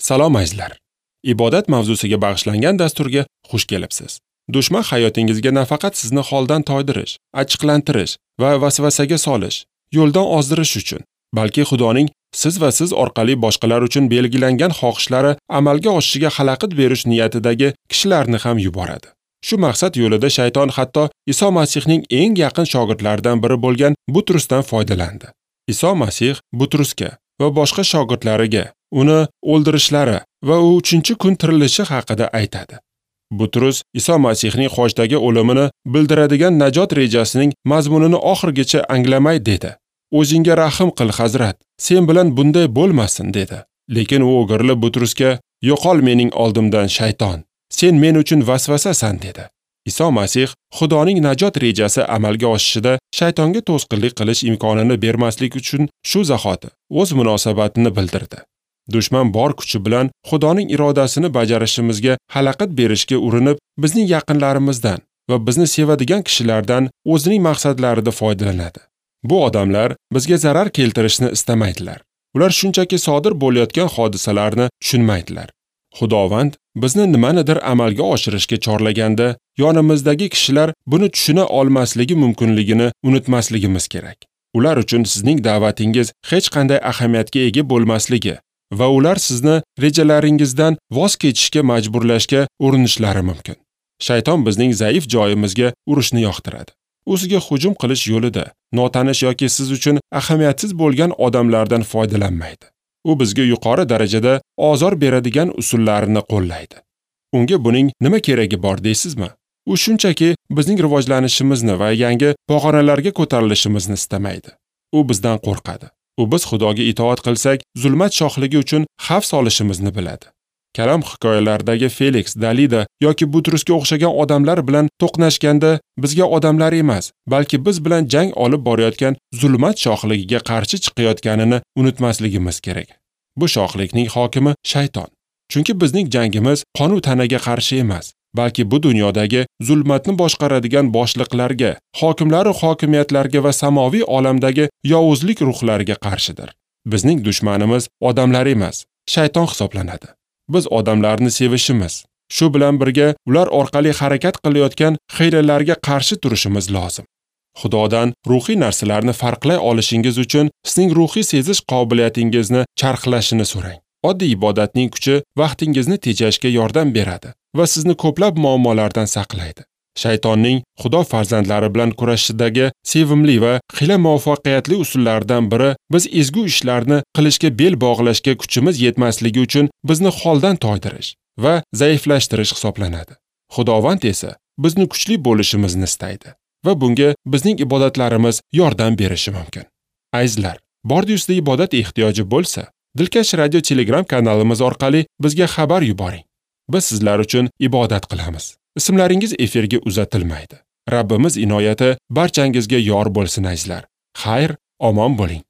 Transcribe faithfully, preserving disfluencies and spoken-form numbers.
Salom azizlar. Ibodat mavzusiga bag'ishlangan dasturga xush kelibsiz. Dushman hayotingizga nafaqat sizni holdan toydirish, achchiqlantirish va vasvasaga solish, yo'ldan ozdirish uchun, balki Xudoning siz va siz orqali boshqalar uchun belgilangan xohishlari amalga oshishiga xalaqit berish niyatidagi kishilarni ham yuboradi. Shu maqsad yo'lida shayton hatto Iso Masihning eng yaqin shogirdlaridan biri bo'lgan Butrusdan foydalandi. Iso Masih Butrusga va boshqa shogirdlariga uni o'ldirishlari va u uchinchi kun tirilishi haqida aytadi. Butrus Iso Masihning xochdagi o'limini bildiradigan najot rejasining mazmunini oxirigacha anglamay dedi. O'zingga rahim qil, Hazrat, sen bilan bunday bo'lmasin, dedi. Lekin u o'girilib Butrusga, "Yo'qol mening oldimdan, shayton. Sen men uchun vasvasasan", dedi. Iso Masih Xudoning najot rejasi amalga oshishida shaytonga to'sqinlik qilish imkonini bermaslik uchun shu zahoti o'z munosabatini bildirdi. Dushman bor kuchi bilan Xudoning irodasini bajarishimizga xalaqit berishga urinib, bizning yaqinlarimizdan va bizni sevadigan kishilardan o'zining maqsadlarida foydalanadi. Bu odamlar bizga zarar keltirishni istamaydilar. Ular shunchaki sodir bo'layotgan hodisalarni tushunmaydilar. Xudovand bizni nimanidir amalga oshirishga chorlaganda, yonimizdagi kishilar buni tushuna olmasligi mumkinligini unutmasligimiz kerak. Ular uchun sizning da'vatingiz hech qanday ahamiyatga ega bo'lmasligi va ular sizni rejalaringizdan voz kechishga majburlashga urinishlari mumkin. Shayton bizning zaif joyimizga urishni yoqtiradi. O'ziga hujum qilish yo'lida notanish yoki siz uchun ahamiyatsiz bo'lgan odamlardan foydalanmaydi. U bizga yuqori darajada ozor beradigan usullarini qo'llaydi. Unga buning nima keragi bor deysizmi? U shunchaki bizning rivojlanishimizni va yangi pog'onalarga ko'tarilishimizni istamaydi. U bizdan qo'rqadi. U biz Xudoga itoat qilsak, zulmat shohligi uchun xavf solishimizni biladi. Kalom hikoyalaridagi Felix, Dalida yoki Butrusga o'xshagan odamlar bilan to'qnashganda bizga odamlar emas, balki biz bilan jang olib borayotgan zulmat shohligiga qarshi chiqayotganini unutmasligimiz kerak. Bu shohlikning hokimi shayton. Chunki bizning jangimiz qon u tanaga qarshi emas, balki bu dunyodagi zulmatni boshqaradigan boshliqlarga, hokimlar va hokimiyatlarga va samoviy olamdagi yovuzlik ruhlariga qarshidir. Bizning dushmanimiz odamlar emas, shayton hisoblanadi. Biz odamlarni sevishimiz, shu bilan birga ular orqali harakat qilayotgan xiylalarga qarshi turishimiz lozim. Xudodan ruhiy narsalarni farqlay olishingiz uchun sizning ruhiy sezish qobiliyatingizni charxlashini so'rang. Oddiy ibodatning kuchi vaqtingizni tejashga yordam beradi va sizni ko'plab muammolardan saqlaydi. Shaytonning Xudo farzandlari bilan kurashidagi sevimli va xiyla muvaffaqiyatli usullaridan biri biz ezgu ishlarni qilishga bel bog'lashga kuchimiz yetmasligi uchun bizni holdan toydirish va zaiflashtirish hisoblanadi. Xudovand esa bizni kuchli bo'lishimizni istaydi va bunga bizning ibodatlarimiz yordam berishi mumkin. Azizlar, bordi-ustida ibodat ehtiyoji bo'lsa, Dilkash Radio Telegram kanalimiz orqali bizga xabar yuboring. Biz sizlar uchun ibodat qilamiz. Ismlaringiz efirga uzatilmaydi. Rabbimiz inoyati barchangizga yor bo'lsin azizlar. Xayr, omon bo'ling.